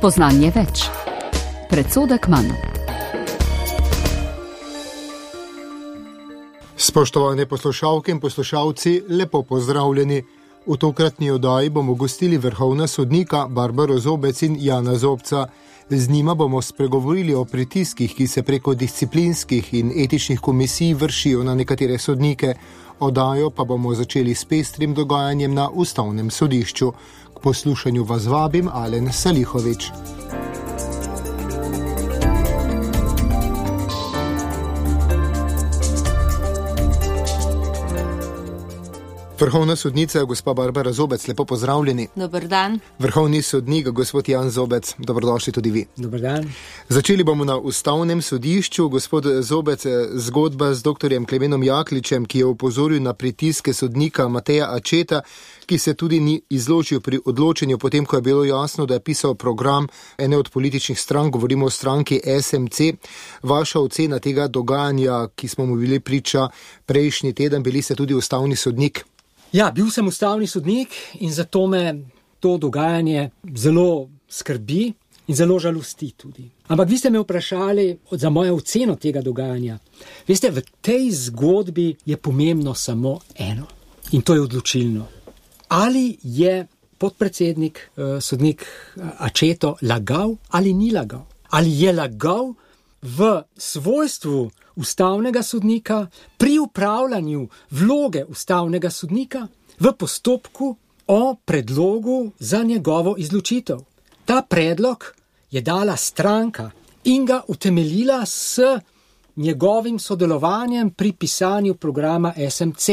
Spoznanje več. Predsodek manj. Spoštovane poslušalke in poslušalci, lepo pozdravljeni. V tokratni oddaji bomo gostili vrhovna sodnika Barbaro Zobec in Jana Zobca. Z njima bomo spregovorili o pritiskih, ki se preko disciplinskih in etičnih komisij vršijo na nekatere sodnike. Oddajo pa bomo začeli s pestrim dogajanjem na Ustavnem sodišču. K poslušanju vas vabim Alen Salihovič. Vrhovna sodnica, gospa Barbara Zobec, lepo pozdravljeni. Dober dan. Vrhovni sodnik, gospod Jan Zobec, dobrodošli tudi vi. Dober dan. Začeli bomo na Ustavnem sodišču. Gospod Zobec, zgodba z doktorjem Klemenom Jakličem, ki je opozoril na pritiske sodnika Mateja Acceta, ki se tudi ni izločil pri odločenju, potem ko je bilo jasno, da je pisal program ene od političnih strank, govorimo o stranki SMC. Vaša ocena tega dogajanja, ki smo mu bili priča prejšnji teden, bili ste tudi ustavni sodnik? Ja, bil sem ustavni sodnik in zato me to dogajanje zelo skrbi in zelo žalosti tudi. Ampak vi ste me vprašali za mojo oceno tega dogajanja. Veste, v tej zgodbi je pomembno samo eno in to je odločilno. Ali je podpredsednik, sodnik Acceto lagal ali ni lagal? Ali je lagal v svojstvu ustavnega sodnika pri upravljanju vloge ustavnega sodnika v postopku o predlogu za njegovo izločitev? Ta predlog je dala stranka in ga utemeljila s njegovim sodelovanjem pri pisanju programa SMC.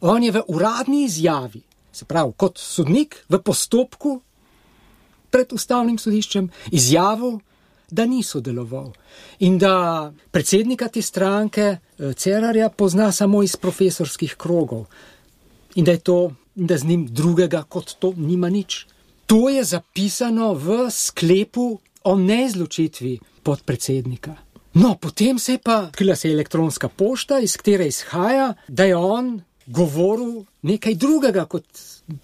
On je v uradni izjavi, se pravi kot sodnik v postopku pred ustavnim sodiščem, izjavil, da ni sodeloval in da predsednika te stranke Cerarja pozna samo iz profesorskih krogov in da z njim drugega kot to nima nič. To je zapisano v sklepu o neizločitvi podpredsednika. No, potem se je elektronska pošta, iz katere izhaja, da je on govoril nekaj drugega, kot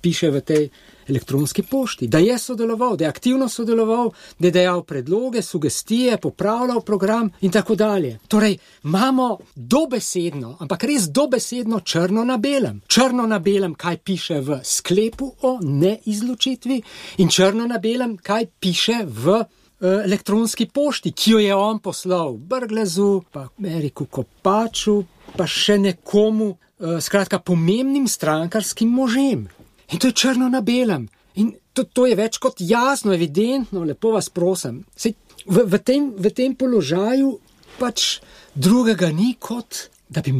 piše v tej elektronski pošti, da je sodeloval, da je aktivno sodeloval, da je dajal predloge, sugestije, popravljal program in tako dalje. Torej, imamo dobesedno, ampak res dobesedno črno na belem. Črno na belem, kaj piše v sklepu o neizločitvi in črno na belem, kaj piše v elektronski pošti, ki jo je on poslal Brglezu, pa Eriku Kopaču, pa še nekomu, skratka pomembnim strankarskim možem. In to je črno na belem. In to je več kot jasno, evidentno, lepo vas prosim. Sej, v tem položaju pač drugega ni kot, da bi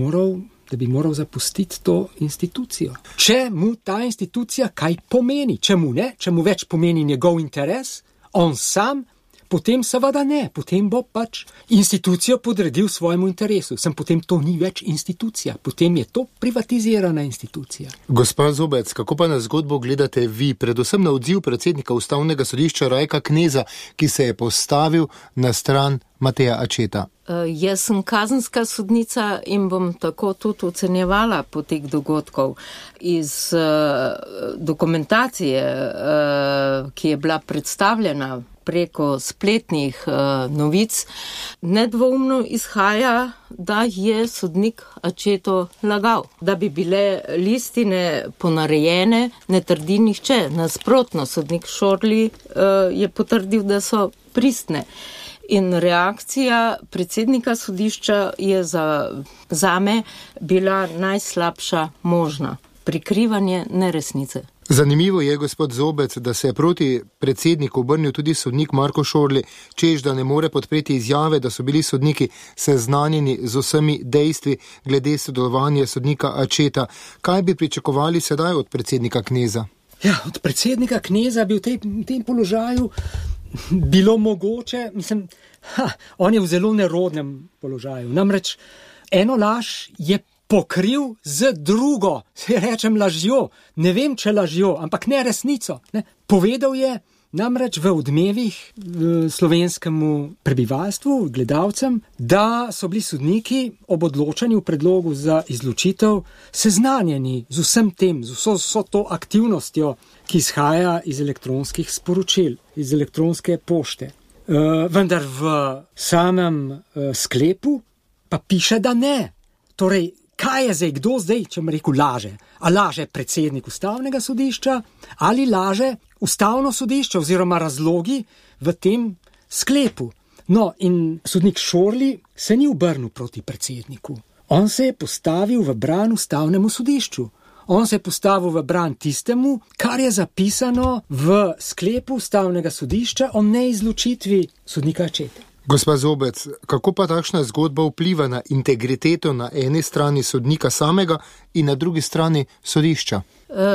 moral zapustiti to institucijo. Če mu ta institucija kaj pomeni, če mu več pomeni njegov interes, on sam, potem seveda ne, potem bo pač institucijo podredil svojemu interesu. Potem to ni več institucija, potem je to privatizirana institucija. Gospa Zobec, kako pa na zgodbo gledate vi, predvsem na odziv predsednika Ustavnega sodišča Rajka Kneza, ki se je postavil na stran Mateja Acceta? Jaz sem kazenska sodnica in bom tako tudi ocenjevala potek dogodkov. Iz dokumentacije, ki je bila predstavljena preko spletnih novic, nedvoumno izhaja, da je sodnik Acceto lagal. Da bi bile listine ponarejene, ne trdi nihče. Nasprotno, sodnik Šorli je potrdil, da so pristne. In reakcija predsednika sodišča je zame bila najslabša možna. Prikrivanje neresnice. Zanimivo je, gospod Zobec, da se je proti predsedniku obrnil tudi sodnik Marko Šorli, češ da ne more podpreti izjave, da so bili sodniki seznanjeni z vsemi dejstvi glede sodelovanja sodnika Acceta. Kaj bi pričakovali sedaj od predsednika Kneza? Ja, od predsednika Kneza bi v tem položaju bilo mogoče, on je v zelo nerodnem položaju. Namreč eno laž je pokril z drugo, se rečem lažjo, ne vem, če lažjo, ampak ne resnico. Ne. Povedal je namreč v Odmevih slovenskemu prebivalstvu, gledalcem, da so bili sodniki ob odločanju predlogu za izločitev seznanjeni z vsem tem, z vso to aktivnostjo ki izhaja iz elektronskih sporočil, iz elektronske pošte. Vendar v samem sklepu pa piše, da ne. Torej, kaj je zdaj, kdo zdaj, če mi rekel, laže? A laže predsednik Ustavnega sodišča ali laže Ustavno sodišče oziroma razlogi v tem sklepu? No, in sodnik Šorli se ni obrnil proti predsedniku. On se je postavil v bran Ustavnemu sodišču. On se je postavil v bran tistemu, kar je zapisano v sklepu Ustavnega sodišča o neizločitvi sodnika Ačete. Gospa Zobec, kako pa takšna zgodba vpliva na integriteto na eni strani sodnika samega in na drugi strani sodišča?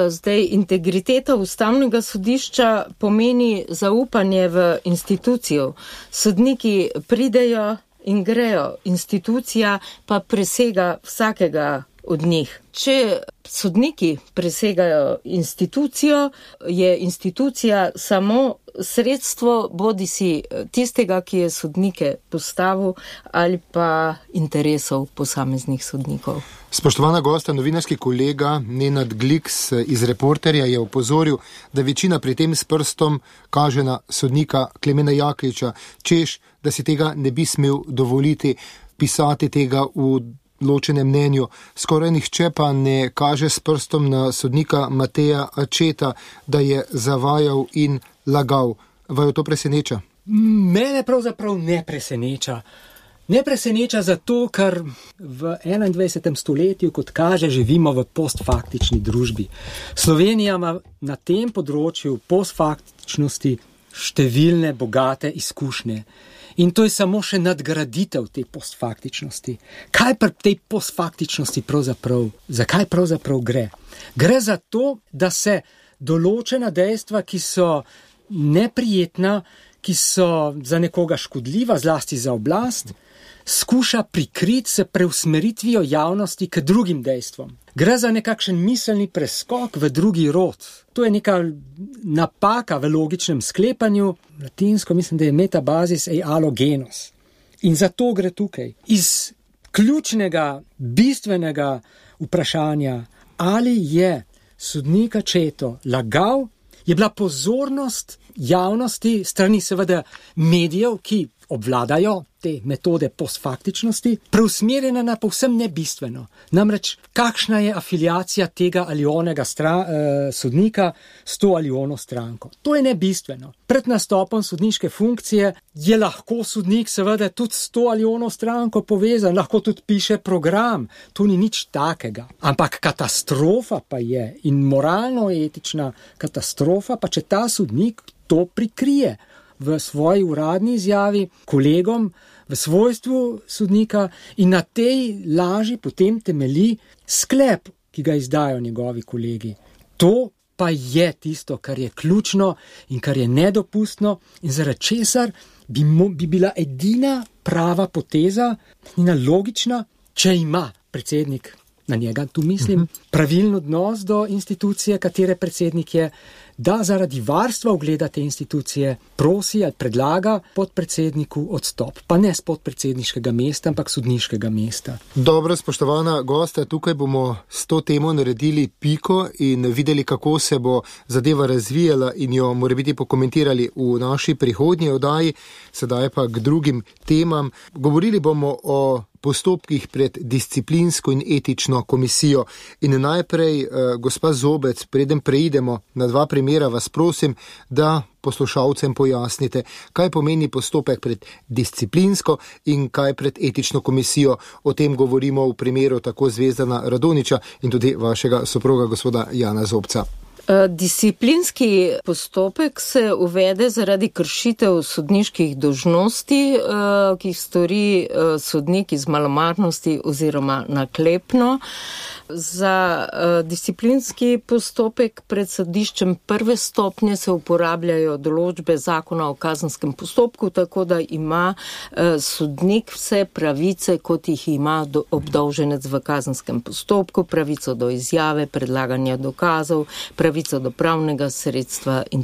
Zdaj, integriteta Ustavnega sodišča pomeni zaupanje v institucijo. Sodniki pridejo in grejo, institucija pa presega vsakega od njih. Če sodniki presegajo institucijo, je institucija samo sredstvo bodisi tistega, ki je sodnike postavil, ali pa interesov posameznih sodnikov. Spoštovana gosta, novinarski kolega Nenad Gliks iz Reporterja je opozoril, da večina pri tem s prstom kaže na sodnika Klemena Jakliča, češ, da si tega ne bi smel dovoliti pisati tega v ločenem mnenju. Skoraj nihče pa ne kaže s prstom na sodnika Mateja Ačeta, da je zavajal in lagal. Vaju to preseneča? Mene pravzaprav ne preseneča. Ne preseneča zato, ker v 21. stoletju, kot kaže, živimo v postfaktični družbi. Slovenija ima na tem področju postfaktičnosti številne bogate izkušnje. In to je samo še nadgraditev te postfaktičnosti. Kaj pri tej postfaktičnosti pravzaprav, zakaj pravzaprav gre? Gre za to, da se določena dejstva, ki so neprijetna, ki so za nekoga škodljiva, zlasti za oblast, skuša prikriti s preusmeritvijo javnosti k drugim dejstvom. Gre za nekakšen miselni preskok v drugi rod. To je neka napaka v logičnem sklepanju. Latinsko mislim, da je metabasis ei alo genus. In zato gre tukaj. Iz ključnega, bistvenega vprašanja, ali je sodnik Ačeto lagal, je bila pozornost javnosti, strani seveda medijev, ki obvladajo te metode postfaktičnosti, preusmerjena na povsem nebistveno. Namreč, kakšna je afiliacija tega ali onega sodnika s to ali ono stranko. To je nebistveno. Pred nastopom sodniške funkcije je lahko sodnik seveda tudi s to ali ono stranko povezan, lahko tudi piše program. To ni nič takega. Ampak katastrofa pa je in moralno-etična katastrofa, pa če ta sodnik to prikrije v svoji uradni izjavi kolegom v svojstvu sodnika in na tej laži potem temelji sklep, ki ga izdajo njegovi kolegi. To pa je tisto, kar je ključno in kar je nedopustno in zaradi česar bi bila edina prava poteza, njena logična, če ima predsednik, na njega tu mislim, pravilen odnos do institucije, katere predsednik je, da zaradi varstva ugleda te institucije prosi ali predlaga podpredsedniku odstop. Pa ne z podpredsedniškega mesta, ampak sodniškega mesta. Dobro, spoštovana gosta, tukaj bomo s to temo naredili piko in videli, kako se bo zadeva razvijala in jo morebiti pokomentirali v naši prihodnji oddaji, sedaj pa k drugim temam. Govorili bomo o postopkih pred disciplinsko in etično komisijo. In najprej, gospa Zobec, preden preidemo na dva primera, vas prosim, da poslušalcem pojasnite, kaj pomeni postopek pred disciplinsko in kaj pred etično komisijo. O tem govorimo v primeru tako Zvezdana Radonjića in tudi vašega soproga, gospoda Jana Zobca. Disciplinski postopek se uvede zaradi kršitev sodniških dolžnosti, ki jih stori sodnik iz malomarnosti oziroma naklepno. Za disciplinski postopek pred sodiščem prve stopnje se uporabljajo določbe zakona o kazenskem postopku, tako da ima sodnik vse pravice, kot jih ima obdolženec v kazenskem postopku, pravico do izjave, predlaganja dokazov, pravico pravico do pravnega sredstva in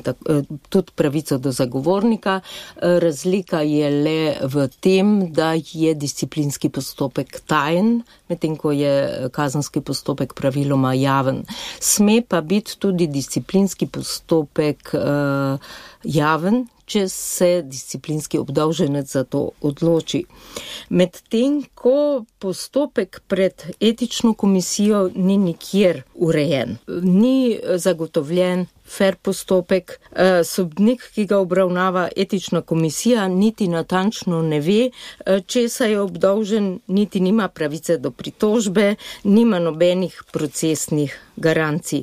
tudi pravico do zagovornika. Razlika je le v tem, da je disciplinski postopek tajen, medtem ko je kazenski postopek praviloma javen. Sme pa biti tudi disciplinski postopek javen, če se disciplinski obdolženec za to odloči. Medtem ko postopek pred etično komisijo ni nikjer urejen, ni zagotovljen fair postopek, sodnik, ki ga obravnava etična komisija, niti natančno ne ve, česa je obdolžen, niti nima pravice do pritožbe, nima nobenih procesnih garancij.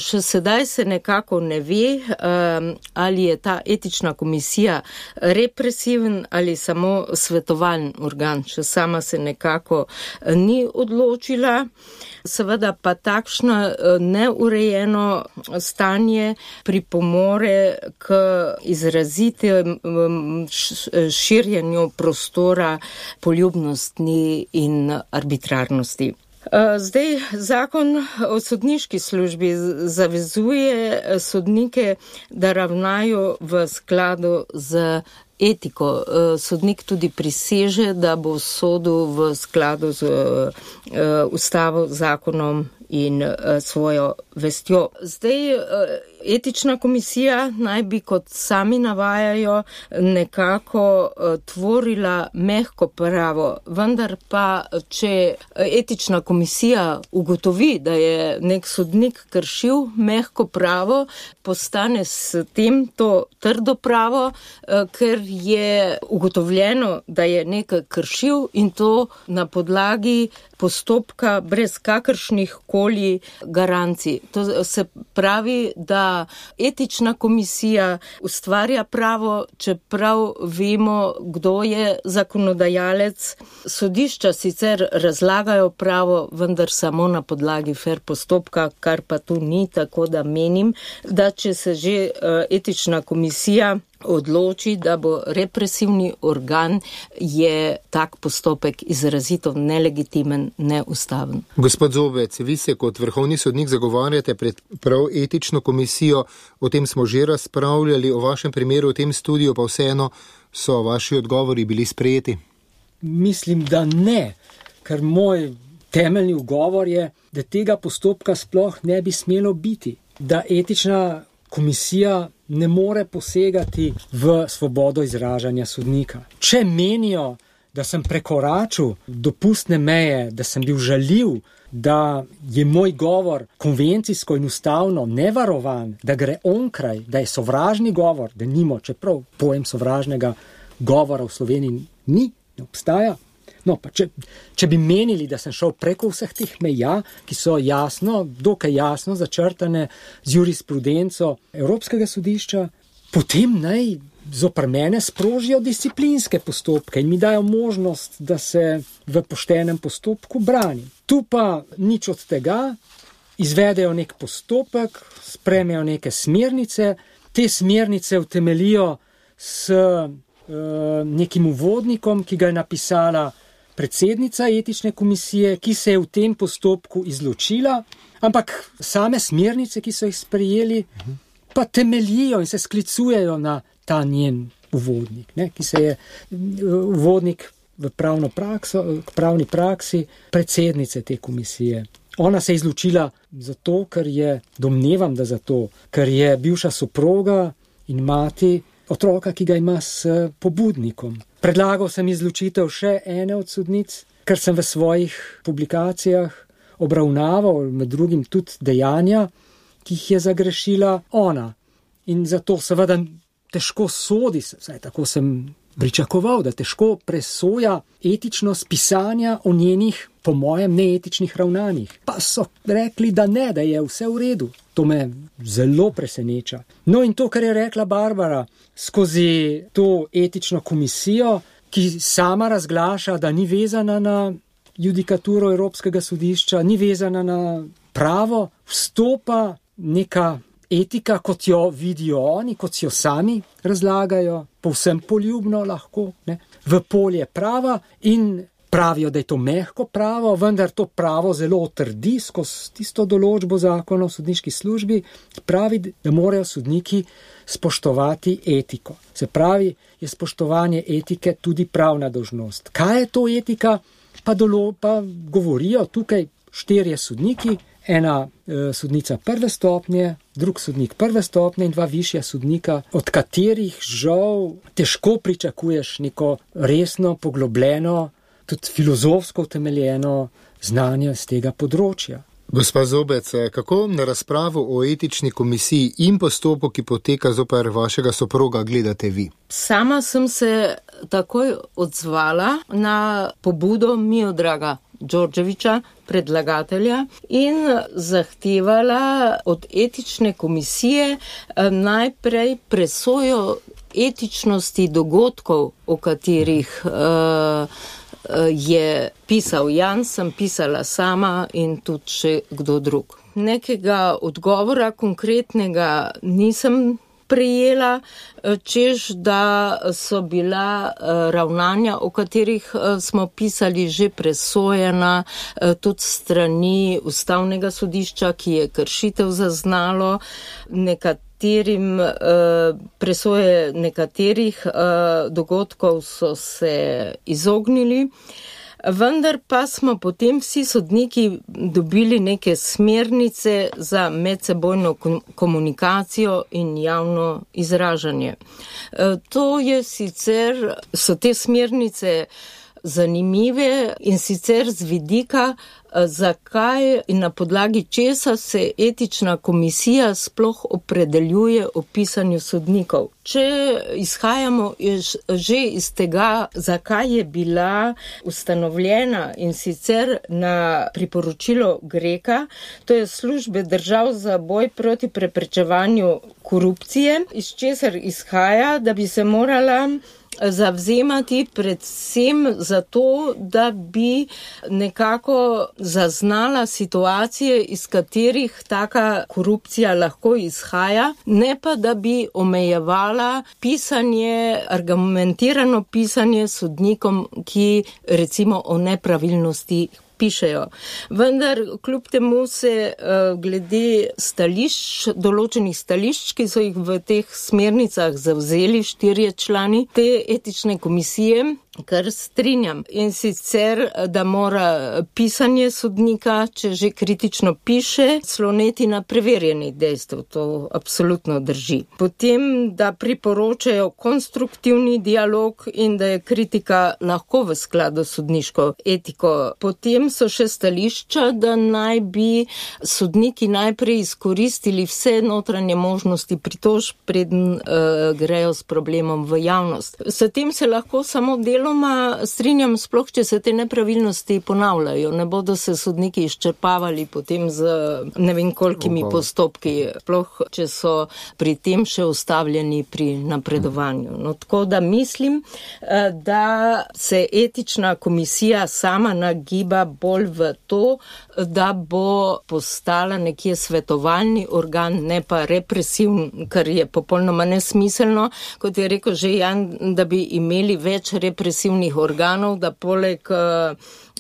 Še sedaj se nekako ne ve, ali je ta etična komisija represiven ali samo svetovalni organ. Še sama se nekako ni odločila. Seveda pa takšno neurejeno stanje pripomore k izrazitem širjenju prostora poljubnosti in arbitrarnosti. Zdaj, zakon o sodniški službi zavezuje sodnike, da ravnajo v skladu z etiko. Sodnik tudi priseže, da bo sodil v skladu z ustavo, zakonom in svojo vestjo. Zdaj, etična komisija naj bi, kot sami navajajo, nekako tvorila mehko pravo, vendar pa, če etična komisija ugotovi, da je nek sodnik kršil mehko pravo, postane s tem to trdo pravo, ker je ugotovljeno, da je nekaj kršil in to na podlagi postopka brez kakršnih koli garancij. To se pravi, da etična komisija ustvarja pravo, čeprav vemo, kdo je zakonodajalec. Sodišča sicer razlagajo pravo, vendar samo na podlagi fair postopka, kar pa tu ni, tako da menim, da če se že etična komisija odloči, da bo represivni organ, je tak postopek izrazito nelegitimen, neustaven. Gospod Zobec, vi se kot vrhovni sodnik zagovarjate pred prav etično komisijo, o tem smo že razpravljali, o vašem primeru v tem studiu, pa vseeno so vaši odgovori bili sprejeti? Mislim, da ne, ker moj temeljni ugovor je, da tega postopka sploh ne bi smelo biti, da etična komisija ne more posegati v svobodo izražanja sodnika. Če menijo, da sem prekoračil dopustne meje, da sem bil žaljiv, da je moj govor konvencijsko in ustavno nevarovan, da gre onkraj, da je sovražni govor, da nimo, čeprav pojem sovražnega govora v Sloveniji ne obstaja. No, pa če bi menili, da sem šel preko vseh teh meja, ki so dokaj jasno začrtane z jurisprudenco Evropskega sodišča, potem naj zoper mene sprožijo disciplinske postopke in mi dajo možnost, da se v poštenem postopku branim. Tu pa nič od tega, izvedejo nek postopek, sprejmejo neke smernice, te smernice utemelijo s nekim uvodnikom, ki ga je napisala predsednica etične komisije, ki se je v tem postopku izločila, ampak same smernice, ki so jih sprejeli, pa temeljijo in se sklicujejo na ta njen uvodnik, ki se je uvodnik v pravni praksi predsednice te komisije. Ona se je izločila zato, ker je, domnevam, da zato, ker je bivša soproga in mati otroka, ki ga ima s pobudnikom. Predlagal sem izločitev še ene od sodnic, ker sem v svojih publikacijah obravnaval med drugim tudi dejanja, ki jih je zagrešila ona. In zato seveda težko sodi, vsaj tako sem pričakoval, da težko presoja etičnost pisanja o njenih, po mojem, neetičnih ravnanjih. Pa so rekli, da ne, da je vse v redu. To me zelo preseneča. No in to, kar je rekla Barbara, skozi to etično komisijo, ki sama razglaša, da ni vezana na judikaturo Evropskega sodišča, ni vezana na pravo, vstopa neka etika, kot jo vidijo oni, kot si jo sami razlagajo, povsem poljubno lahko, v polje prava in pravijo, da je to mehko pravo, vendar to pravo zelo otrdi skozi tisto določbo zakona o sodniški službi, pravi, da morajo sodniki spoštovati etiko. Se pravi, je spoštovanje etike tudi pravna dolžnost. Kaj je to etika? Pa govorijo tukaj 4 sodniki, ena sodnica prve stopnje, drug sodnik prve stopnje in 2 višja sodnika, od katerih žal težko pričakuješ neko resno, poglobljeno, tudi filozofsko utemeljeno znanje z tega področja. Gospa Zobec, kako na razpravo o etični komisiji in postopku, ki poteka zoper vašega soproga, gledate vi? Sama sem se takoj odzvala na pobudo Miodraga Đorđevića, predlagatelja, in zahtevala od etične komisije najprej presojo etičnosti dogodkov, o katerih je pisal Jan, sem pisala sama in tudi še kdo drug. Nekega odgovora konkretnega nisem prejela, čež da so bila ravnanja, o katerih smo pisali, že presojena tudi strani Ustavnega sodišča, ki je kršitev zaznalo, presoje nekaterih dogodkov so se izognili. Vendar pa smo potem vsi sodniki dobili neke smernice za medsebojno komunikacijo in javno izražanje. So te smernice zanimive in sicer z vidika, zakaj in na podlagi česa se etična komisija sploh opredeljuje o pisanju sodnikov. Če izhajamo že iz tega, zakaj je bila ustanovljena, in sicer na priporočilo Greka, to je Službe držav za boj proti preprečevanju korupcije, iz česar izhaja, da bi se morala zavzemati predvsem za to, da bi nekako zaznala situacije, iz katerih taka korupcija lahko izhaja, ne pa da bi omejevala pisanje, argumentirano pisanje sodnikom, ki recimo o nepravilnosti pišejo. Vendar kljub temu se glede stališč, določenih stališč, ki so jih v teh smernicah zavzeli 4 člani te etične komisije, kar strinjam. In sicer, da mora pisanje sodnika, če že kritično piše, sloneti na preverjenih dejstev. To absolutno drži. Potem, da priporočajo konstruktivni dialog in da je kritika lahko v skladu s sodniško etiko. Potem so še stališča, da naj bi sodniki najprej izkoristili vse notranje možnosti pritožb, preden grejo s problemom v javnost. S tem se lahko samo deloma strinjam, sploh če se te nepravilnosti ponavljajo. Ne bodo se sodniki izčrpavali potem z ne vem kolikimi postopki, sploh če so pri tem še ustavljeni pri napredovanju. No, tako da mislim, da se etična komisija sama nagiba bolj v to, da bo postala nekje svetovalni organ, ne pa represivni, kar je popolnoma nesmiselno, kot je rekel že Jan, da bi imeli več represivnih organov, da poleg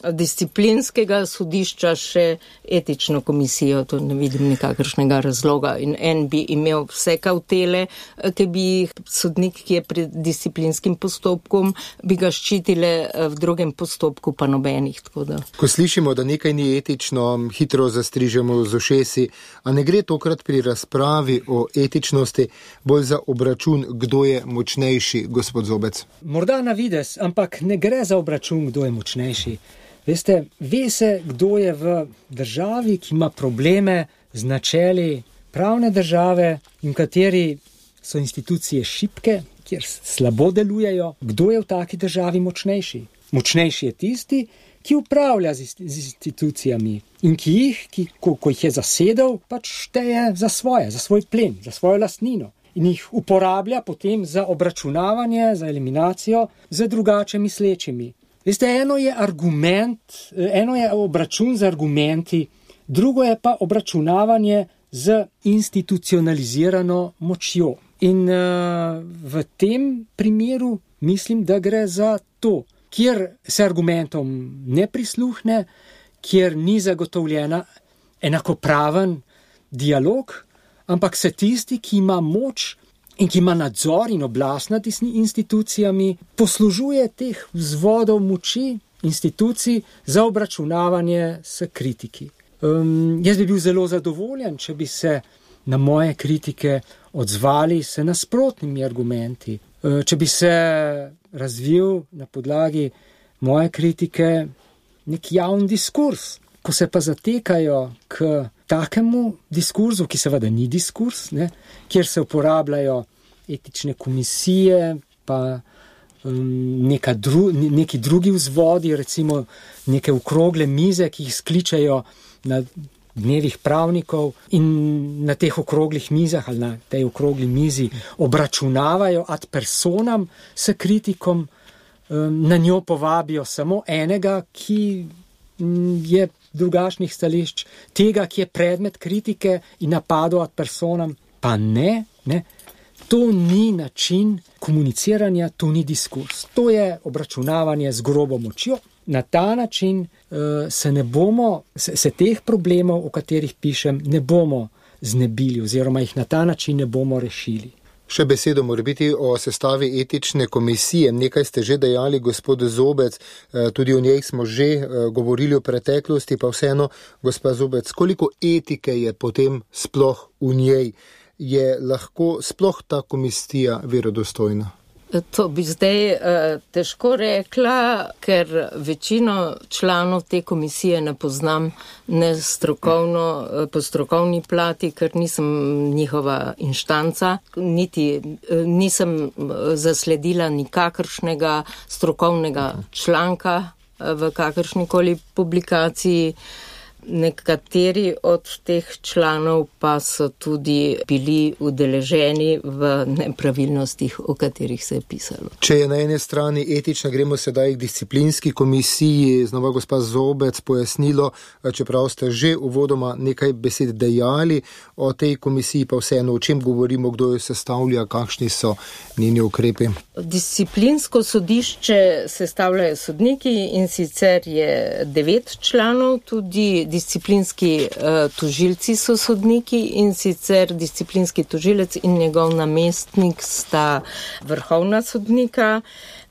disciplinskega sodišča še etično komisijo, to ne vidim nikakršnega razloga. In en bi imel vse kavtele, ki bi jih sodnik, ki je pred disciplinskim postopkom, bi ga ščitile, v drugem postopku pa nobenih. Ko slišimo, da nekaj ni etično, hitro zastrižemo z ušesi, a ne gre tokrat pri razpravi o etičnosti bolj za obračun, kdo je močnejši, gospod Zobec? Morda na videz, ampak ne gre za obračun, kdo je močnejši. Veste, ve se, kdo je v državi, ki ima probleme z načeli pravne države in kateri so institucije šibke, kjer slabo delujejo. Kdo je v taki državi močnejši? Močnejši je tisti, ki upravlja z institucijami in ki jih, ko jih je zasedel, pač šteje za svoj plen, za svojo lastnino. In jih uporablja potem za obračunavanje, za eliminacijo z drugače mislečimi. Veste, eno je obračun z argumenti, drugo je pa obračunavanje z institucionalizirano močjo. In v tem primeru mislim, da gre za to, kjer se argumentom ne prisluhne, kjer ni zagotovljena enakopraven dialog, ampak se tisti, ki ima moč in ki ima nadzor in oblast nad institucijami, poslužuje teh vzvodov moči institucij za obračunavanje s kritiki. Jaz bi bil zelo zadovoljen, če bi se na moje kritike odzvali s nasprotnimi argumenti, če bi se razvil na podlagi moje kritike nek javni diskurs. Ko se pa zatekajo k takemu diskurzu, ki seveda ni diskurs, kjer se uporabljajo etične komisije, pa neki drugi vzvodi, recimo neke okrogle mize, ki jih skličajo na dnevih pravnikov in na teh okroglih mizah ali na tej okrogli mizi obračunavajo ad personam s kritikom, na njo povabijo samo enega, ki je drugačnih stališč, tega, ki je predmet kritike in napadov ad personam, pa ne. To ni način komuniciranja, to ni diskurs. To je obračunavanje z grobo močjo. Na ta način se teh problemov, o katerih pišem, ne bomo znebili oziroma jih na ta način ne bomo rešili. Še besedo mora biti o sestavi etične komisije. Nekaj ste že dejali, gospod Zobec, tudi o njej smo že govorili v preteklosti, pa vseeno, gospod Zobec, koliko etike je potem sploh v njej? Je lahko sploh ta komisija verodostojna? To bi zdaj težko rekla, ker večino članov te komisije ne poznam ne strokovno, po strokovni plati, ker nisem njihova inštanca, niti nisem zasledila nikakršnega strokovnega članka v kakršnikoli publikaciji. Nekateri od teh članov pa so tudi bili udeleženi v nepravilnostih, o katerih se je pisalo. Če je na eni strani etična, gremo sedaj k disciplinski komisiji, znova gospa Zobec pojasnilo, čeprav ste že uvodoma nekaj besed dejali o tej komisiji, pa vseeno, o čem govorimo, kdo jo sestavlja, kakšni so njeni ukrepi. Disciplinsko sodišče sestavljajo sodniki in sicer je 9 članov, tudi disciplinski tožilci so sodniki in sicer disciplinski tožilec in njegov namestnik sta vrhovna sodnika.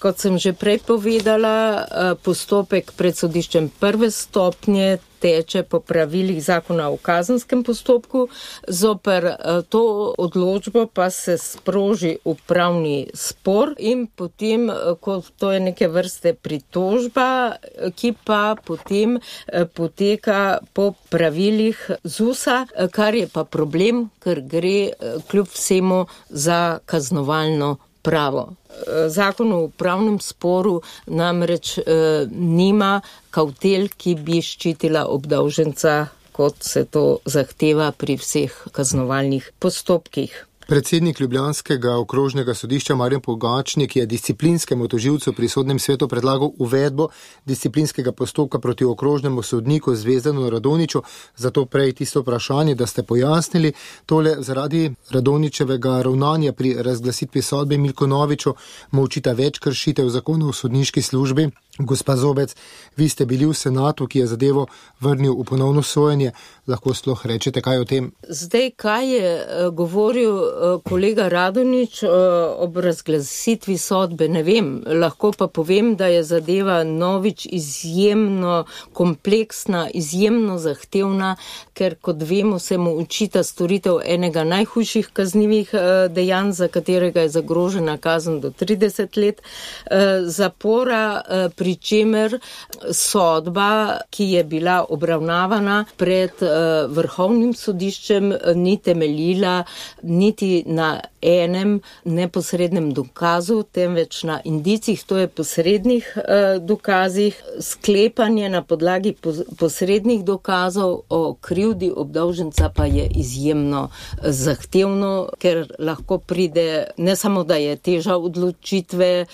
Kot sem že prej povedala, postopek pred sodiščem prve stopnje teče po pravilih zakona o kazenskem postopku, zoper to odločbo pa se sproži upravni spor in potem, ko to je neke vrste pritožba, ki pa potem poteka po pravilih ZUS-a, kar je pa problem, ker gre kljub vsemu za kaznovalno pravo. Zakon o upravnem sporu namreč nima kavtel, ki bi ščitila obdolženca, kot se to zahteva pri vseh kaznovalnih postopkih. Predsednik ljubljanskega okrožnega sodišča Marjan Pogačnik je disciplinskemu tožilcu pri sodnem svetu predlagal uvedbo disciplinskega postopka proti okrožnemu sodniku Zvezdanu Radonjiću. Zato prej tisto vprašanje, da ste pojasnili tole zaradi Radonjićevega ravnanja pri razglasitvi sodbe Milku Noviču, mu očita več kršitev zakona o sodniški službi. Gospa Zobec, vi ste bili v senatu, ki je zadevo vrnil v ponovno sojenje. Lahko sploh rečete kaj o tem? Zdaj, kaj je govoril kolega Radonjić ob razglasitvi sodbe, ne vem. Lahko pa povem, da je zadeva Novič izjemno kompleksna, izjemno zahtevna, ker kot vemo, se mu očita storitev enega najhujših kaznivih dejanj, za katerega je zagrožena kazen do 30 let zapora, pri čemer sodba, ki je bila obravnavana pred vrhovnim sodiščem, ni temeljila niti na enem neposrednem dokazu, temveč na indicih, to je posrednih dokazih. Sklepanje na podlagi posrednih dokazov o krivdi obdolženca pa je izjemno zahtevno, ker lahko pride, ne samo da je teža odločitve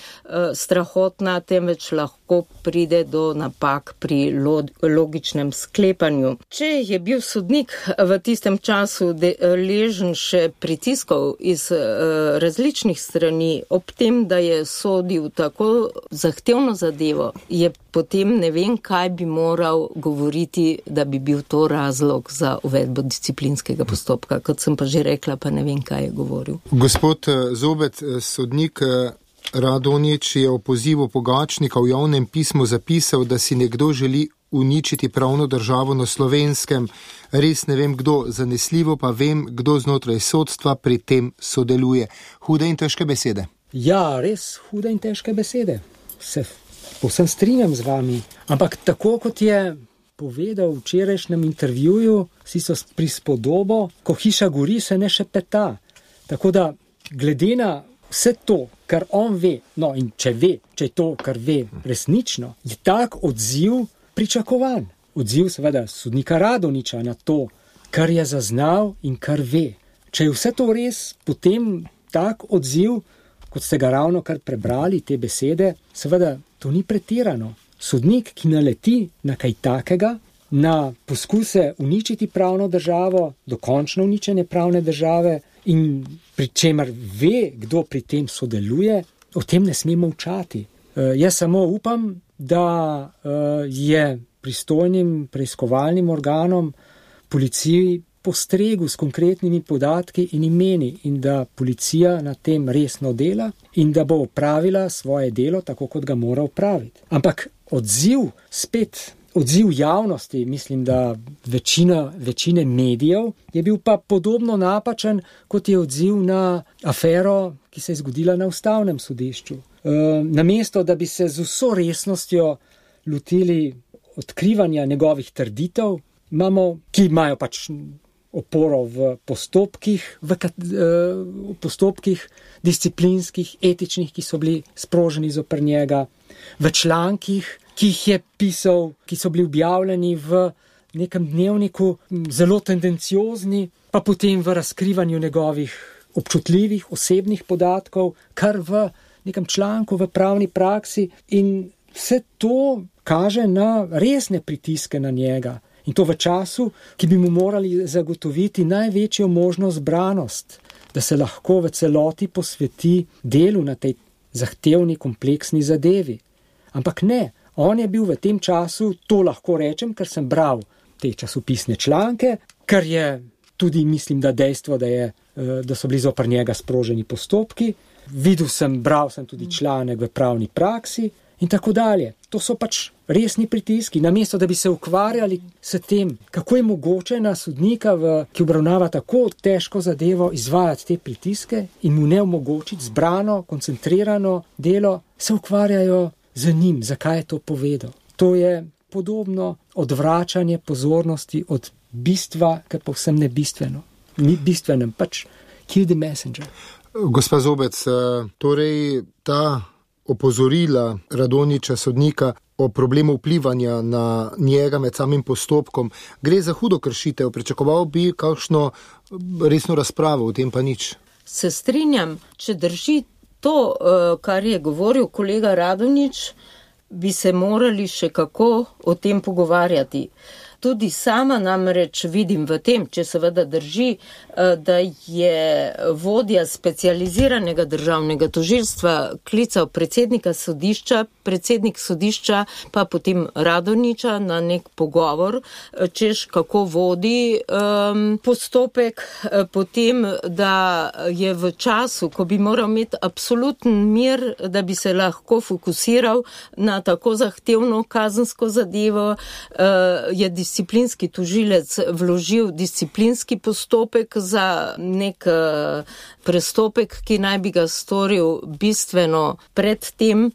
strahotna, temveč lahko lahko pride do napak pri logičnem sklepanju. Če je bil sodnik v tistem času deležen še pritiskov iz različnih strani, ob tem, da je sodil tako zahtevno zadevo, je potem ne vem, kaj bi moral govoriti, da bi bil to razlog za uvedbo disciplinskega postopka. Kot sem pa že rekla, pa ne vem, kaj je govoril. Gospod Zobec, sodnik Radonjić je o pozivu Pogačnika v javnem pismu zapisal, da si nekdo želi uničiti pravno državo na Slovenskem. Res ne vem kdo, zanesljivo pa vem, kdo znotraj sodstva pri tem sodeluje. Hude in težke besede. Ja, res hude in težke besede. Se povsem strinjam z vami. Ampak tako kot je povedal v včerajšnjem intervjuju, si so prispodobo, ko hiša gori, se ne šepeta. Tako da, glede na vse to, kar on ve, no in če je to, kar ve resnično, je tak odziv pričakovan. Odziv seveda sodnika Radonjića na to, kar je zaznal in kar ve. Če je vse to res, potem tak odziv, kot ste ga ravno kar prebrali, te besede, seveda to ni pretirano. Sodnik, ki naleti na kaj takega, na poskuse uničiti pravno državo, dokončno uničenje pravne države in pri čemer ve, kdo pri tem sodeluje, o tem ne sme molčati. Jaz samo upam, da je pristojnim preiskovalnim organom policiji postregel s konkretnimi podatki in imeni in da policija na tem resno dela in da bo opravila svoje delo tako, kot ga mora opraviti. Ampak odziv javnosti, mislim, da večine medijev, je bil pa podobno napačen, kot je odziv na afero, ki se je zgodila na Ustavnem sodišču. Namesto, da bi se z vso resnostjo lotili odkrivanja njegovih trditev, ki imajo pač oporo v postopkih disciplinskih, etičnih, ki so bili sproženi zoper njega, v člankih, ki jih je pisal, ki so bili objavljeni v nekem dnevniku, zelo tendenciozni, pa potem v razkrivanju njegovih občutljivih, osebnih podatkov, kar v nekem članku v pravni praksi, in vse to kaže na resne pritiske na njega. In to v času, ki bi mu morali zagotoviti največjo možno zbranost, da se lahko v celoti posveti delu na tej zahtevni, kompleksni zadevi. Ampak ne, on je bil v tem času, to lahko rečem, ker sem bral te časopisne članke, ker je tudi, mislim, da dejstvo, da so bili zoper njega sproženi postopki, bral sem tudi članek v pravni praksi in tako dalje. To so pač resni pritiski. Namesto, da bi se ukvarjali s tem, kako je mogoče na sodnika, ki obravnava tako težko zadevo, izvajati te pritiske in mu ne omogočiti zbrano, koncentrirano delo, se ukvarjajo z njim, zakaj je to povedal. To je podobno odvračanje pozornosti od bistva, kar povsem ne bistveno. Ni bistvenem, pač kill the messenger. Gospa Zobec, torej ta opozorila Radonjića, sodnika, o problemu vplivanja na njega med samim postopkom, gre za hudo kršitev. Pričakoval bi kakšno resno razpravo, o tem pa nič. Se strinjam, če drži to, kar je govoril kolega Radonjić, bi se morali še kako o tem pogovarjati. Tudi sama namreč vidim v tem, če seveda drži, da je vodja specializiranega državnega tožilstva klical predsednika sodišča, predsednik sodišča pa potem Radonjića na nek pogovor, češ kako vodi postopek, potem, da je v času, ko bi moral imeti absoluten mir, da bi se lahko fokusiral na tako zahtevno kazensko zadevo, je disciplinski tožilec vložil disciplinski postopek za nek prestopek, ki naj bi ga storil bistveno pred tem.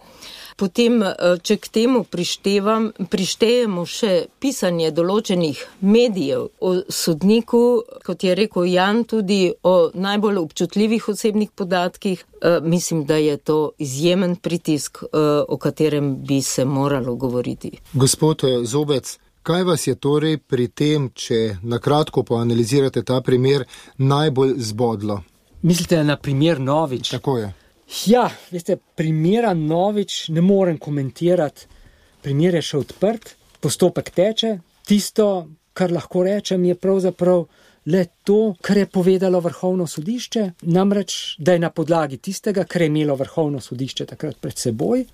Potem, če k temu prištejemo še pisanje določenih medijev o sodniku, kot je rekel Jan, tudi o najbolj občutljivih osebnih podatkih, mislim, da je to izjemen pritisk, o katerem bi se moralo govoriti. Gospod Zobec, kaj vas je torej pri tem, če nakratko poanalizirate ta primer, najbolj zbodlo? Mislite na primer Novič? Tako je. Ja, veste, primera Novič ne morem komentirati, primer je še odprt, postopek teče, tisto, kar lahko rečem, je pravzaprav le to, kar je povedalo Vrhovno sodišče, namreč, da je na podlagi tistega, kar je imelo Vrhovno sodišče takrat pred seboj,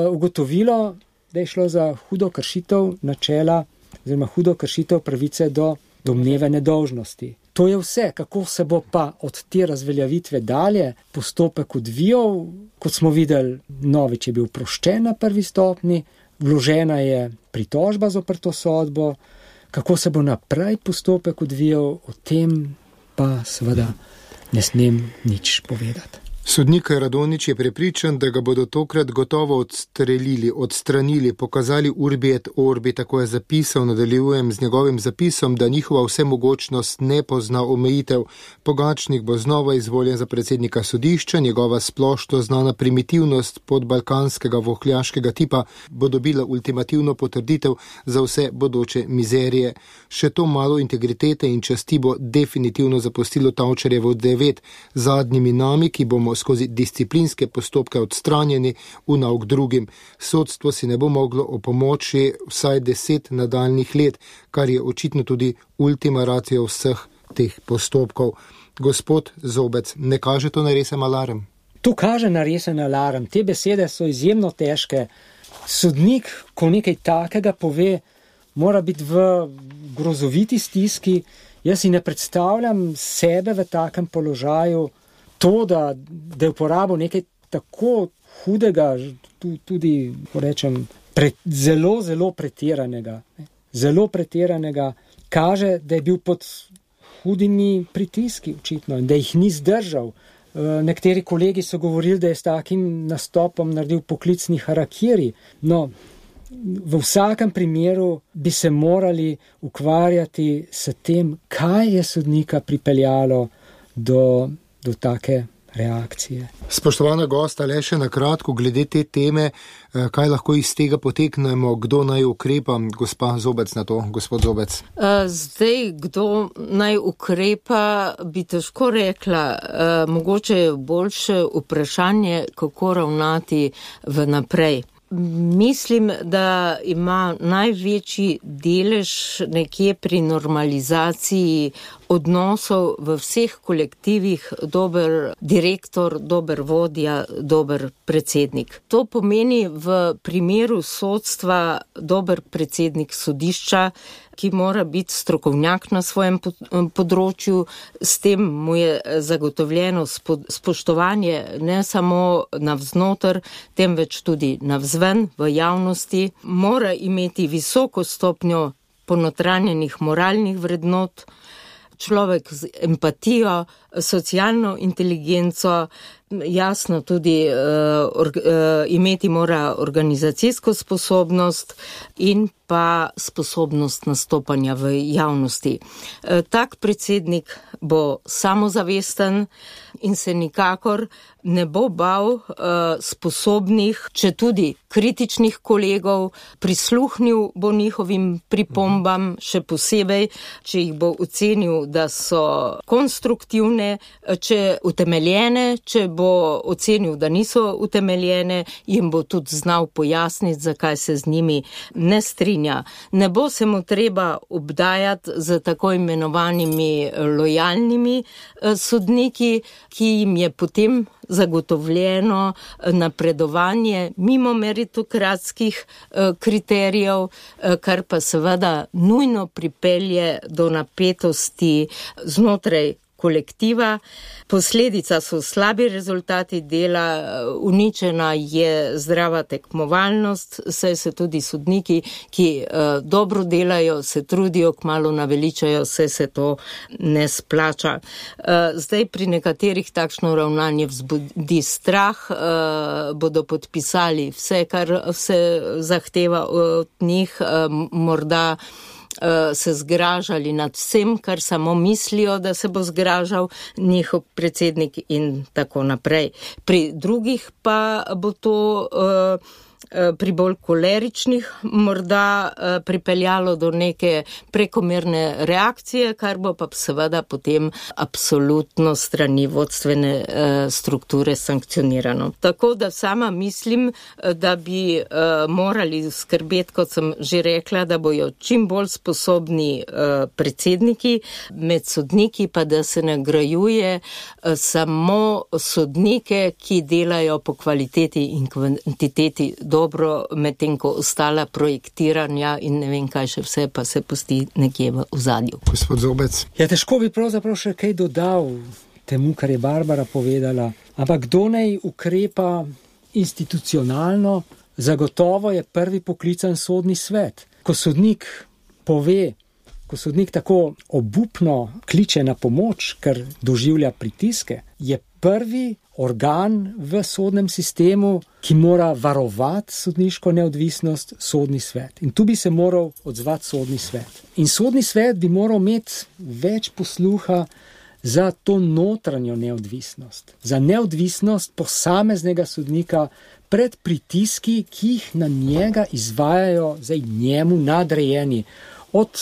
ugotovilo, da je šlo za hudo kršitev načela oziroma hudo kršitev pravice do domneve nedolžnosti. To je vse, kako se bo pa od te razveljavitve dalje postopek odvijal. Kot smo videli, Novič je bil oproščen na prvi stopnji, vložena je pritožba zoper to sodbo. Kako se bo naprej postopek odvijal, o tem pa seveda ne smem nič povedati. Sodnik Radonjić je prepričan, da ga bodo tokrat gotovo odstranili, pokazali urbi et orbi, tako je zapisal, nadaljujem z njegovim zapisom, da njihova vsemogočnost ne pozna omejitev. Pogačnik bo znova izvoljen za predsednika sodišča, njegova splošno znana primitivnost podbalkanskega vohljaškega tipa bo dobila ultimativno potrditev za vse bodoče mizerije. Še to malo integritete in časti bo definitivno zapustilo Tavčarjevo 9 zadnjimi nami, ki bomo skozi disciplinske postopke odstranjeni v nauk drugim. Sodstvo si ne bo moglo opomoči vsaj 10 nadaljnih let, kar je očitno tudi ultima ratio vseh teh postopkov. Gospod Zobec, ne kaže to na resen alarm? To kaže na resen alarm. Te besede so izjemno težke. Sodnik, ko nekaj takega pove, mora biti v grozoviti stiski. Jaz si ne predstavljam sebe v takem položaju. To, da je uporabil nekaj tako hudega, tudi, rečem, zelo, zelo pretiranega, kaže, da je bil pod hudimi pritiski, očitno, in da jih ni zdržal. Nekateri kolegi so govorili, da je s takim nastopom naredil poklicni harakiri. No, v vsakem primeru bi se morali ukvarjati s tem, kaj je sodnika pripeljalo do take reakcije. Spoštovana gosta, le še na kratko glede te teme, kaj lahko iz tega poteknemo, kdo naj ukrepa, gospa Zobec na to, gospod Zobec. Zdaj, kdo naj ukrepa, bi težko rekla. Mogoče je boljše vprašanje, kako ravnati v naprej. Mislim, da ima največji delež nekje pri normalizaciji odnosov v vseh kolektivih dober direktor, dober vodja, dober predsednik. To pomeni v primeru sodstva dober predsednik sodišča, ki mora biti strokovnjak na svojem področju, s tem mu je zagotovljeno spoštovanje ne samo navznoter, temveč tudi navzven v javnosti, mora imeti visoko stopnjo ponotranjenih moralnih vrednot, človek z empatijo, socialno inteligenco, jasno tudi imeti mora organizacijsko sposobnost in pa sposobnost nastopanja v javnosti. Tak predsednik bo samozavesten in se nikakor ne bo bal sposobnih, če tudi kritičnih kolegov, prisluhnil bo njihovim pripombam, še posebej, če jih bo ocenil, da so konstruktivne, če utemeljene, če bo ocenil, da niso utemeljene, jim bo tudi znal pojasniti, zakaj se z njimi ne strinja. Ne bo se mu treba obdajati z tako imenovanimi lojalnimi sodniki, ki jim je potem zagotovljeno napredovanje mimo meritokratskih kriterijev, kar pa seveda nujno pripelje do napetosti znotraj kolektiva. Posledica so slabi rezultati dela, uničena je zdrava tekmovalnost, saj se tudi sodniki, ki dobro delajo, se trudijo, kmalu naveličajo, se to ne splača. Zdaj pri nekaterih takšno ravnanje vzbudi strah, bodo podpisali vse, kar se zahteva od njih, morda se zgražali nad vsem, kar samo mislijo, da se bo zgražal njihov predsednik in tako naprej. Pri drugih pa bo to pri bolj koleričnih morda pripeljalo do neke prekomerne reakcije, kar bo pa seveda potem absolutno strani vodstvene strukture sankcionirano. Tako da sama mislim, da bi morali skrbeti, kot sem že rekla, da bojo čim bolj sposobni predsedniki, med sodniki pa da se nagrajuje samo sodnike, ki delajo po kvaliteti in kvantiteti dobro, medtem ko ostala projektiranja in ne vem kaj še vse, pa se pusti nekje v ozadju. Gospod Zobec. Ja, težko bi pravzaprav še kaj dodal temu, kar je Barbara povedala, ampak kdo naj ukrepa institucionalno, zagotovo je prvi poklican sodni svet. Ko sodnik tako obupno kliče na pomoč, ker doživlja pritiske, je prvi organ v sodnem sistemu, ki mora varovati sodniško neodvisnost, sodni svet. In tu bi se moral odzvati sodni svet. In sodni svet bi moral imeti več posluha za to notranjo neodvisnost, za neodvisnost posameznega sodnika pred pritiski, ki jih na njega izvajajo njemu nadrejeni. Od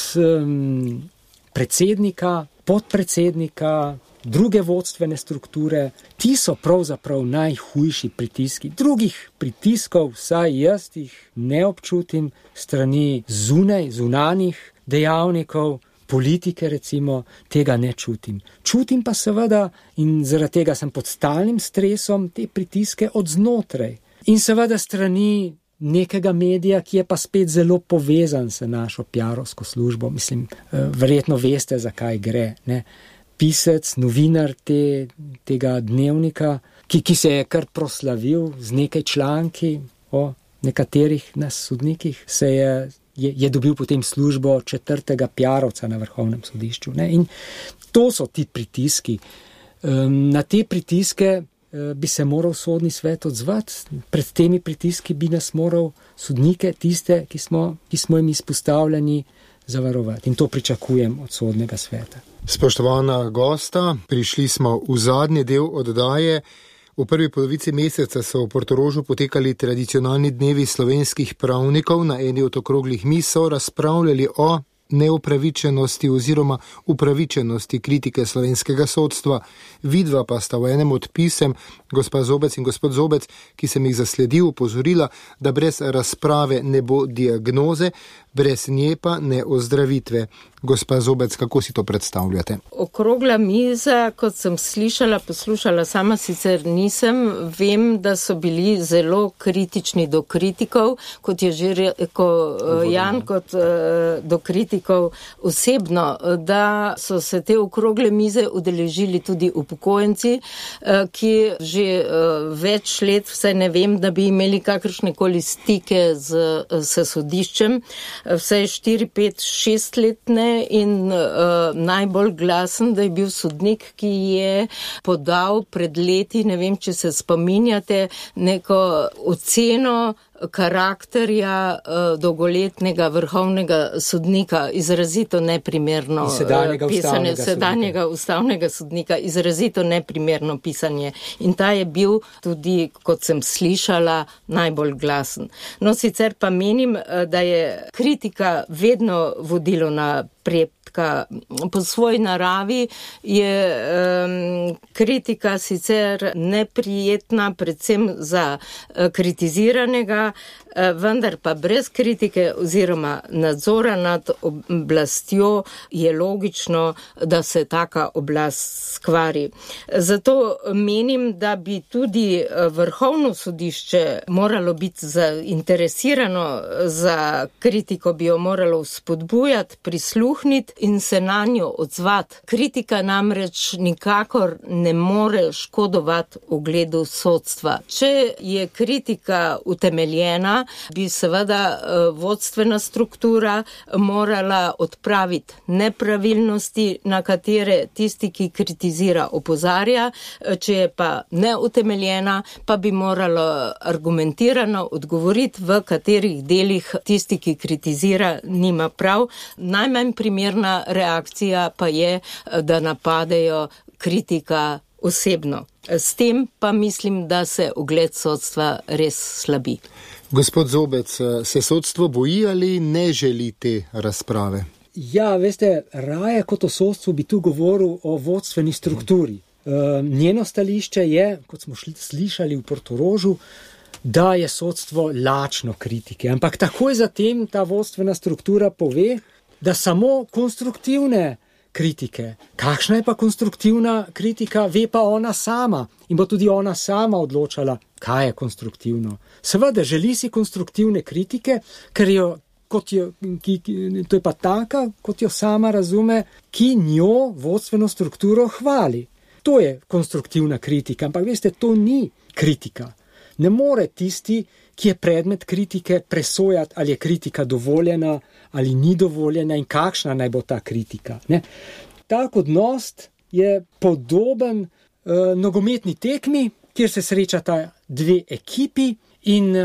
predsednika, podpredsednika, druge vodstvene strukture, ti so pravzaprav najhujši pritiski. Drugih pritiskov, vsaj jaz jih ne občutim, strani zunanjih dejavnikov, politike recimo, tega ne čutim. Čutim pa seveda, in zaradi tega sem pod stalnim stresom, te pritiske od znotraj. In seveda strani nekega medija, ki je pa spet zelo povezan s našo PR-ovsko službo. Mislim, verjetno veste, zakaj gre, ne? Pisec, novinar tega dnevnika, ki se je kar proslavil z nekaj članki o nekaterih nas sodnikih, je dobil potem službo 4. PR-ovca na Vrhovnem sodišču. Ne? In to so ti pritiski. Na te pritiske bi se moral sodni svet odzvati. Pred temi pritiski bi nas moral sodnike, tiste, ki smo jim izpostavljeni, zavarovati. In to pričakujem od sodnega sveta. Spoštovana gosta, prišli smo v zadnji del oddaje. V prvi polovici meseca so v Portorožu potekali tradicionalni dnevi slovenskih pravnikov. Na eni od okroglih miz so razpravljali o neupravičenosti oziroma upravičenosti kritike slovenskega sodstva. Vidva pa sta v enem od pisem, gospa Zobec in gospod Zobec, ki sem jih zasledil, opozorila, da brez razprave ne bo diagnoze, brez nje pa ne ozdravitve. Gospa Zobec, kako si to predstavljate? Okrogla miza, kot sem poslušala, sama sicer nisem, vem, da so bili zelo kritični do kritikov, kot je že rekel Jan, kot do kritikov osebno, da so se te okrogle mize udeležili tudi upokojenci, ki že več let, vsaj ne vem, da bi imeli kakršnekoli stike s sodiščem, vsaj 4, 5, 6 letne. In najbolj glasen, da je bil sodnik, ki je podal pred leti, ne vem, če se spominjate, neko oceno karakterja dolgoletnega vrhovnega sodnika, izrazito neprimerno pisanje, sedanjega ustavnega sodnika, izrazito neprimerno pisanje. In ta je bil tudi, kot sem slišala, najbolj glasen. No, sicer pa menim, da je kritika vedno vodilo napredka. Po svoji naravi je kritika sicer neprijetna, predvsem za kritiziranega, vendar pa brez kritike oziroma nadzora nad oblastjo je logično, da se taka oblast skvari. Zato menim, da bi tudi Vrhovno sodišče moralo biti zainteresirano za kritiko, bi jo moralo spodbujati, prisluhniti in se na njo odzvati. Kritika namreč nikakor ne more škodovati ugledu sodstva. Če je kritika utemeljena, bi seveda vodstvena struktura morala odpraviti nepravilnosti, na katere tisti, ki kritizira, opozarja. Če je pa neutemeljena, pa bi moralo argumentirano odgovoriti, v katerih delih tisti, ki kritizira, nima prav. Najmanj primerna reakcija pa je, da napadejo kritika osebno. S tem pa mislim, da se ugled sodstva res slabi. Gospod Zobec, se sodstvo boji ali ne želi te razprave? Ja, veste, raje kot o sodstvu bi tu govoril o vodstveni strukturi. Njeno stališče je, kot smo slišali v Portorožu, da je sodstvo lačno kritike. Ampak takoj zatem ta vodstvena struktura pove, da samo konstruktivne kritike. Kakšna je pa konstruktivna kritika, ve pa ona sama in bo tudi ona sama odločala, kaj je konstruktivno. Seveda želi si konstruktivne kritike, ker to je pa taka, kot jo sama razume, ki njo vodstveno strukturo hvali. To je konstruktivna kritika, ampak veste, to ni kritika. Ne more tisti, ki je predmet kritike, presojati, ali je kritika dovoljena ali ni dovoljena in kakšna naj bo ta kritika. Ne? Tak odnos je podoben nogometni tekmi, kjer se srečata dve ekipi in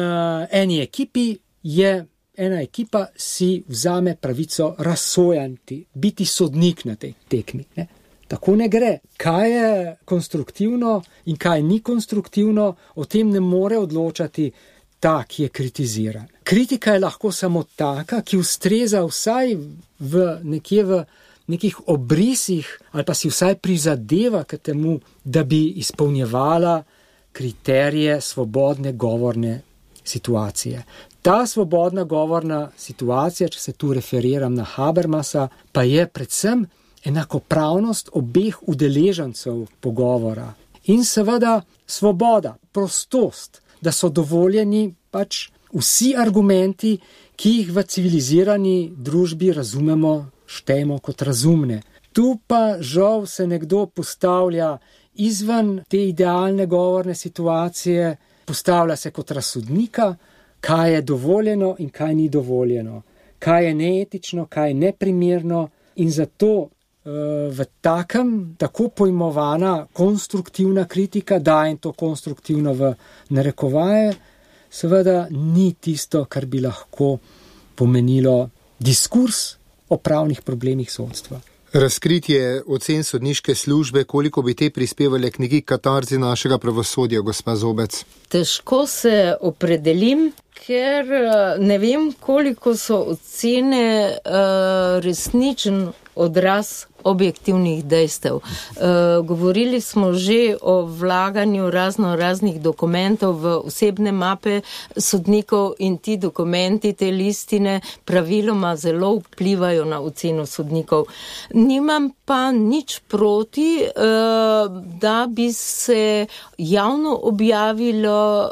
ena ekipa si vzame pravico razsojanti, biti sodnik na tej tekmi. Ne? Tako ne gre. Kaj je konstruktivno in kaj ni konstruktivno, o tem ne more odločati ta, ki je kritiziran. Kritika je lahko samo taka, ki ustreza vsaj v nekih obrisih ali pa si vsaj prizadeva k temu, da bi izpolnjevala kriterije svobodne govorne situacije. Ta svobodna govorna situacija, če se tu referiram na Habermasa, pa je predvsem enakopravnost obeh udeležencev pogovora in seveda svoboda, prostost, da so dovoljeni pač vsi argumenti, ki jih v civilizirani družbi razumemo, štejemo kot razumne. Tu pa žal se nekdo postavlja izven te idealne govorne situacije, postavlja se kot razsodnika, kaj je dovoljeno in kaj ni dovoljeno, kaj je neetično, kaj je neprimerno in zato v tako pojmovana konstruktivna kritika, dajem to konstruktivno v narekovaje, seveda ni tisto, kar bi lahko pomenilo diskurs o pravnih problemih sodstva. Razkritje ocen sodniške službe, koliko bi te prispevali k neki katarzi našega pravosodja, gospa Zobec? Težko se opredelim, ker ne vem, koliko so ocene resničen odraz objektivnih dejstev. Govorili smo že o vlaganju raznih dokumentov v osebne mape sodnikov in ti dokumenti, te listine praviloma zelo vplivajo na oceno sodnikov. Nimam pa nič proti, da bi se javno objavilo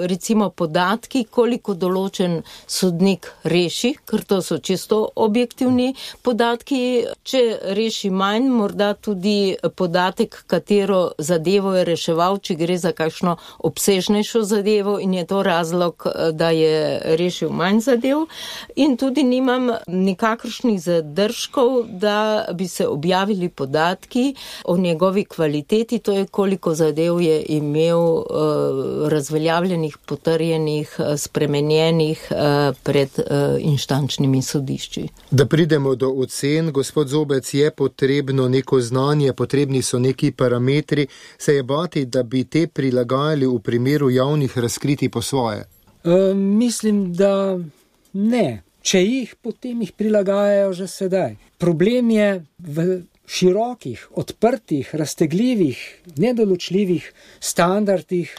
recimo podatki, koliko določen sodnik reši, ker to so čisto objektivni podatki. Če reši manj, morda tudi podatek, katero zadevo je reševal, če gre za kakšno obsežnejšo zadevo in je to razlog, da je rešil manj zadev. In tudi nimam nikakršnih zadržkov, da bi se objavili podatki o njegovi kvaliteti, to je koliko zadev je imel razveljavljenih, potrjenih, spremenjenih pred inštančnimi sodišči. Da pridemo do ocen, gospod Zobec, je potrebno neko znanje, potrebni so neki parametri, se je bati, da bi te prilagajali v primeru javnih razkritij po svoje? Mislim, da ne. Če jih, potem jih prilagajajo že sedaj. Problem je v širokih, odprtih, raztegljivih, nedoločljivih standardih,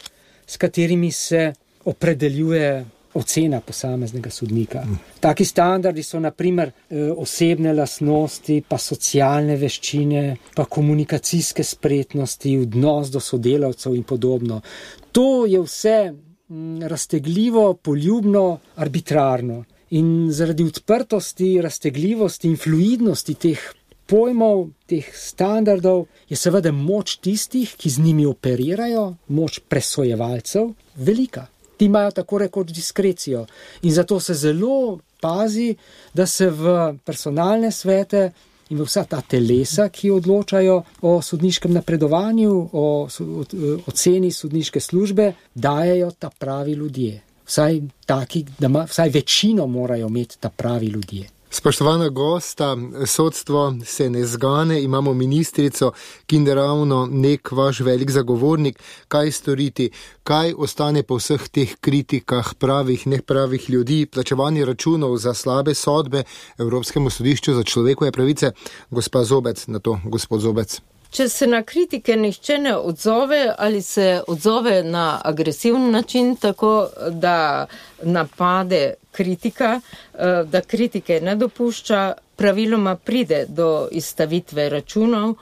s katerimi se opredeljuje ocena posameznega sodnika. Taki standardi so na primer osebne lastnosti, pa socialne veščine, pa komunikacijske spretnosti, odnos do sodelavcev in podobno. To je vse raztegljivo, poljubno, arbitrarno. In zaradi odprtosti, raztegljivosti in fluidnosti teh pojmov, teh standardov, je seveda moč tistih, ki z njimi operirajo, moč presojevalcev, velika. Ti imajo tako rekoč diskrecijo in zato se zelo pazi, da se v personalne svete in v vsa ta telesa, ki odločajo o sodniškem napredovanju, o oceni sodniške službe, dajejo ta pravi ljudje. Vsaj večino morajo imeti ta pravi ljudje. Spoštovana gosta, sodstvo se ne zgane, imamo ministrico, ki je ravno nek vaš velik zagovornik. Kaj storiti? Kaj ostane po vseh teh kritikah pravih, nepravih ljudi, plačevanje računov za slabe sodbe Evropskemu sodišču za človekove pravice? Gospa Zobec, na to gospod Zobec. Če se na kritike nihče ne odzove ali se odzove na agresiven način, tako da napade kritika, da kritike ne dopušča, praviloma pride do izstavitve računov,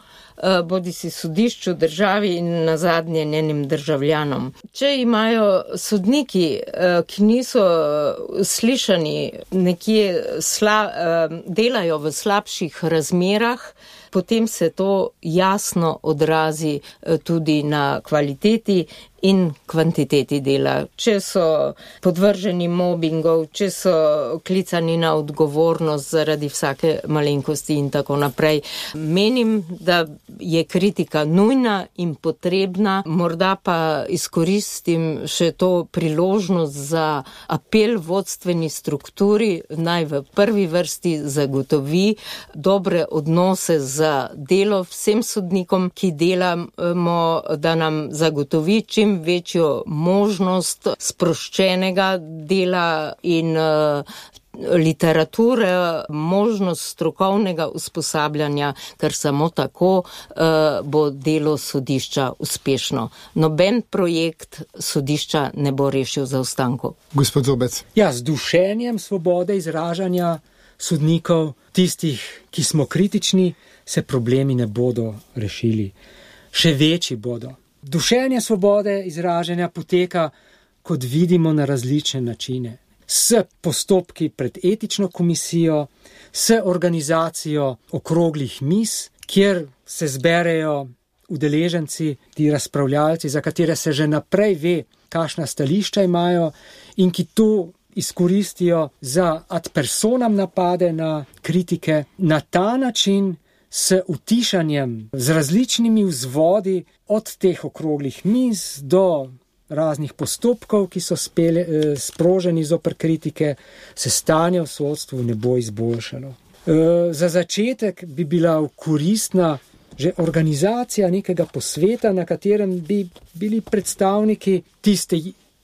bodi si sodišču, državi in nazadnje njenim državljanom. Če imajo sodniki, ki niso slišani, nekje delajo v slabših razmerah, potem se to jasno odrazi tudi na kvaliteti in kvantiteti dela. Če so podvrženi mobingov, če so klicani na odgovornost zaradi vsake malenkosti in tako naprej. Menim, da je kritika nujna in potrebna, morda pa izkoristim še to priložnost za apel vodstveni strukturi, naj v prvi vrsti zagotovi dobre odnose za delo vsem sodnikom, ki delamo, da nam zagotovi čim večjo možnost sproščenega dela in literature, možnost strokovnega usposabljanja, ker samo tako bo delo sodišča uspešno. Noben projekt sodišča ne bo rešil zaostankov. Gospod Zobec. Ja, z dušenjem svobode izražanja sodnikov, tistih, ki smo kritični, se problemi ne bodo rešili. Še večji bodo. Dušenje svobode izražanja poteka, kot vidimo, na različne načine. S postopki pred etično komisijo, s organizacijo okroglih miz, kjer se zberejo udeleženci, ti razpravljalci, za katere se že naprej ve, kakšna stališča imajo in ki to izkoristijo za ad personam napade na kritike. Na ta način s utišanjem, z različnimi vzvodi od teh okroglih miz do raznih postopkov, ki so sproženi zoper kritike, se stanje v sodstvu ne bo izboljšalo. Za začetek bi bila koristna že organizacija nekega posveta, na katerem bi bili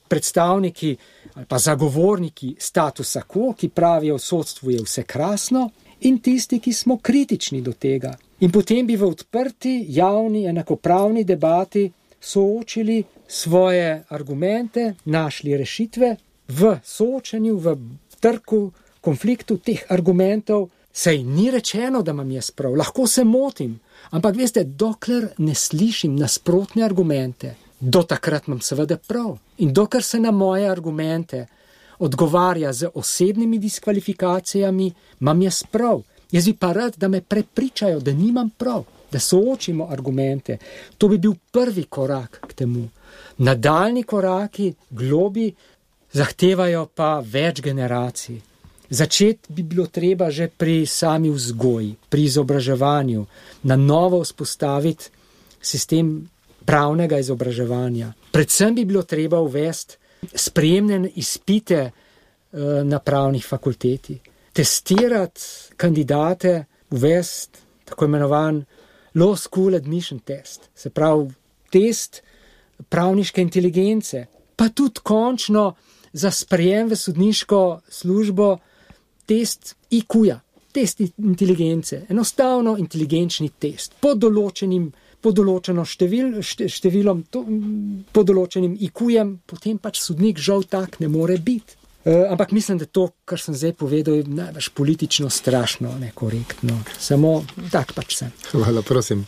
predstavniki ali pa zagovorniki statusa quo, ki pravijo, v sodstvu je vse krasno, in tisti, ki smo kritični do tega. In potem bi v odprti, javni, enakopravni debati soočili svoje argumente, našli rešitve v soočenju, v trku, konfliktu teh argumentov. Sej ni rečeno, da imam jaz prav, lahko se motim, ampak veste, dokler ne slišim nasprotne argumente, do takrat imam seveda prav. In dokler se na moje argumente odgovarja z osebnimi diskvalifikacijami, imam jaz prav. Jaz bi pa rad, da me prepričajo, da nimam prav, da soočimo argumente. To bi bil prvi korak k temu. Nadaljni koraki, globi, zahtevajo pa več generacij. Začeti bi bilo treba že pri sami vzgoji, pri izobraževanju, na novo vzpostaviti sistem pravnega izobraževanja. Predvsem bi bilo treba uvesti sprejemne izpite na pravnih fakulteti, testirati kandidate, uvesti tako imenovan Law School Admission Test, se pravi test pravniške inteligence, pa tudi končno za sprejem v sodniško službo test IQ-ja, test inteligence, enostavno inteligenčni test, pod določenim IQ-jem, potem pač sodnik žal tak ne more biti. Ampak mislim, da to, kar sem zdaj povedal, je najbolj politično strašno nekorektno. Samo tak pač sem. Hvala, prosim.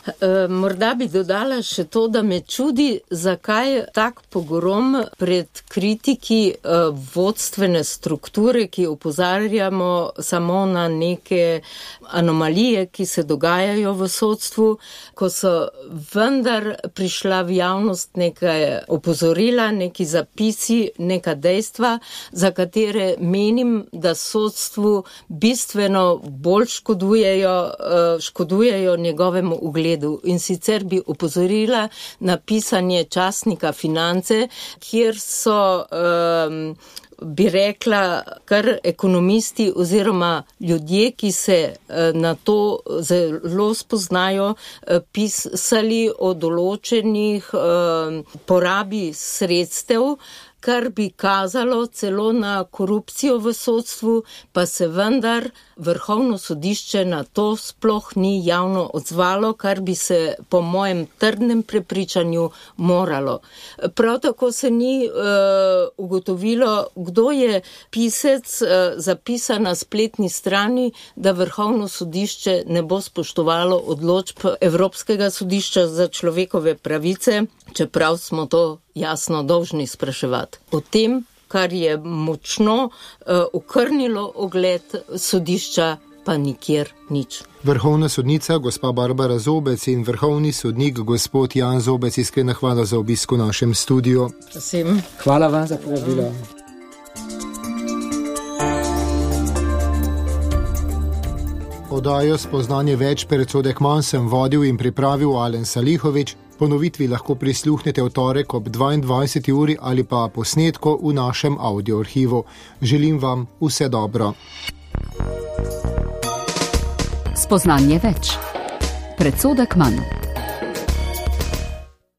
Morda bi dodala še to, da me čudi, zakaj tak pogrom pred kritiki vodstvene strukture, ki opozarjamo samo na neke anomalije, ki se dogajajo v sodstvu, ko so vendar prišla v javnost nekaj opozorila, neki zapisi, neka dejstva, za katere menim, da sodstvu bistveno bolj škodujejo njegovemu ugledu. In sicer bi opozorila na pisanje časnika Finance, kjer so bi rekla, kar ekonomisti oziroma ljudje, ki se na to zelo spoznajo, pisali o določenih porabi sredstev, kar bi kazalo celo na korupcijo v sodstvu, pa se vendar Vrhovno sodišče na to sploh ni javno odzvalo, kar bi se po mojem trdnem prepričanju moralo. Prav tako se ni ugotovilo, kdo je pisec zapisan na spletni strani, da Vrhovno sodišče ne bo spoštovalo odločb Evropskega sodišča za človekove pravice, čeprav smo to jasno dolžni spraševati. O tem, kar je močno okrnilo ugled sodišča, pa nikjer nič. Vrhovna sodnica gospa Barbara Zobec in vrhovni sodnik gospod Jan Zobec, iskrena hvala za obisk v našem studiu. Prosim. Hvala vam za povabilo. Oddajo Spoznanje več predsodek manj sem vodil in pripravil Alen Salihovič. Ponovitvi lahko prisluhnete v torek ob 22. uri ali pa posnetko v našem audioarhivu. Želim vam vse dobro. Spoznanje več. Predsodek manj.